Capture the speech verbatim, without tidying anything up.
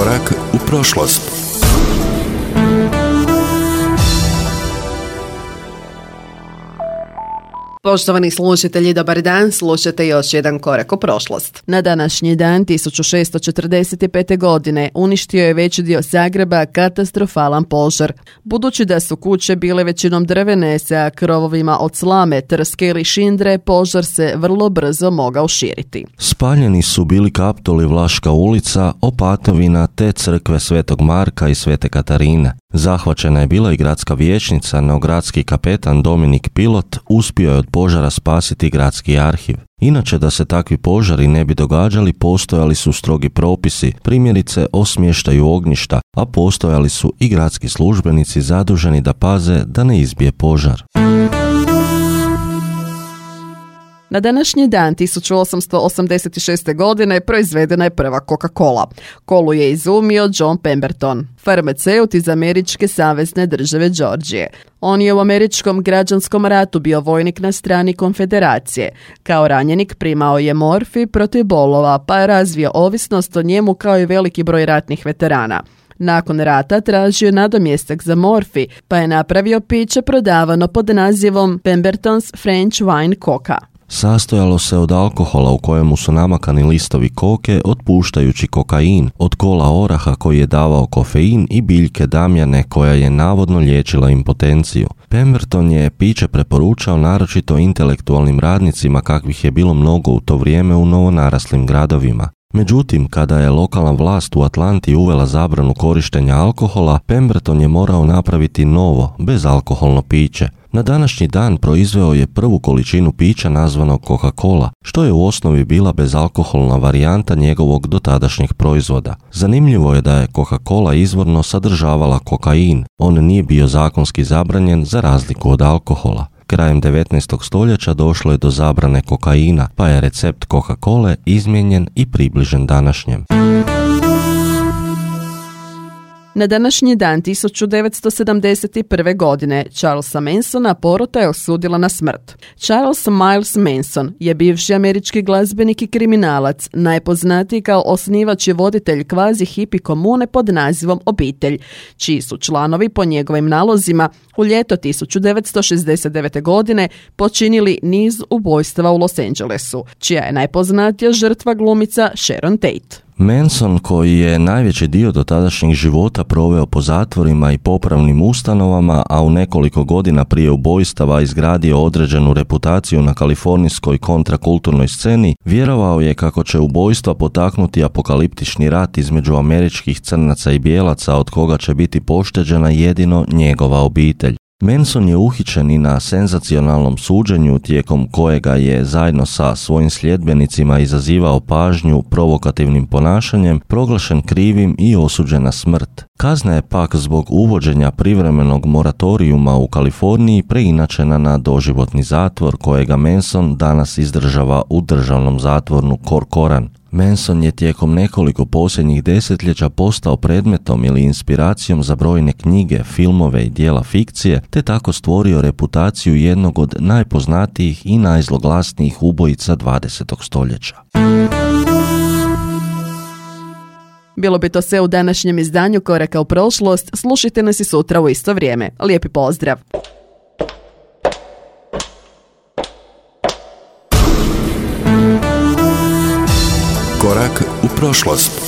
Korak u prošlost. Poštovani slušatelji, dobar dan, slušate još jedan korak u prošlost. Na današnji dan tisuću šessto četrdeset pete. godine uništio je veći dio Zagreba katastrofalan požar. Budući da su kuće bile većinom drvene sa krovovima od slame, trske ili šindre, požar se vrlo brzo mogao širiti. Spaljeni su bili Kaptol i Vlaška ulica, Opatovina te crkve Svetog Marka i Svete Katarine. Zahvaćena je bila i gradska vijećnica, no gradski kapetan Dominik Pilot uspio je od požara spasiti gradski arhiv. Inače, da se takvi požari ne bi događali, postojali su strogi propisi, primjerice o smještaju ognjišta, a postojali su i gradski službenici zaduženi da paze da ne izbije požar. Na današnji dan tisuću osamsto osamdeset šeste. godine proizvedena je prva Coca-Cola. Kolu je izumio John Pemberton, farmaceut iz Američke savezne države Georgije. On je u Američkom građanskom ratu bio vojnik na strani Konfederacije. Kao ranjenik primao je morfij protiv bolova, pa je razvio ovisnost o njemu kao i veliki broj ratnih veterana. Nakon rata tražio nadomjestak za morfij, pa je napravio piće prodavano pod nazivom Pemberton's French Wine Coca. Sastojalo se od alkohola u kojemu su namakani listovi koke otpuštajući kokain, od kola oraha koji je davao kofein i biljke damjane koja je navodno liječila impotenciju. Pemberton je piće preporučao naročito intelektualnim radnicima kakvih je bilo mnogo u to vrijeme u novonaraslim gradovima. Međutim, kada je lokalna vlast u Atlanti uvela zabranu korištenja alkohola, Pemberton je morao napraviti novo, bezalkoholno piće. Na današnji dan proizveo je prvu količinu pića nazvanog Coca-Cola, što je u osnovi bila bezalkoholna varijanta njegovog dotadašnjeg proizvoda. Zanimljivo je da je Coca-Cola izvorno sadržavala kokain. On nije bio zakonski zabranjen za razliku od alkohola. Krajem devetnaestog stoljeća došlo je do zabrane kokaina, pa je recept Coca-Cole izmijenjen i približen današnjem. Na današnji dan tisuću devetsto sedamdeset prve. godine Charlesa Mansona porota je osudila na smrt. Charles Miles Manson je bivši američki glazbenik i kriminalac, najpoznatiji kao osnivač i voditelj kvazi hipi komune pod nazivom Obitelj, čiji su članovi po njegovim nalozima u ljeto tisuću devetsto šezdeset devete. godine počinili niz ubojstava u Los Angelesu, čija je najpoznatija žrtva glumica Sharon Tate. Manson, koji je najveći dio dotadašnjeg života proveo po zatvorima i popravnim ustanovama, a u nekoliko godina prije ubojstava izgradio određenu reputaciju na kalifornijskoj kontrakulturnoj sceni, vjerovao je kako će ubojstva potaknuti apokaliptični rat između američkih crnaca i bijelaca, od koga će biti pošteđena jedino njegova obitelj. Manson je uhićen i na senzacionalnom suđenju tijekom kojega je zajedno sa svojim sljedbenicima izazivao pažnju provokativnim ponašanjem, proglašen krivim i osuđen na smrt. Kazna je pak zbog uvođenja privremenog moratorijuma u Kaliforniji preinačena na doživotni zatvor kojega Manson danas izdržava u državnom zatvoru Corcoran. Manson je tijekom nekoliko posljednjih desetljeća postao predmetom ili inspiracijom za brojne knjige, filmove i dijela fikcije, te tako stvorio reputaciju jednog od najpoznatijih i najzloglasnijih ubojica dvadesetog stoljeća. Bilo bi to sve u današnjem izdanju Koraka u prošlost. Slušajte nas i sutra u isto vrijeme. Lijepi pozdrav! Korak u prošlost.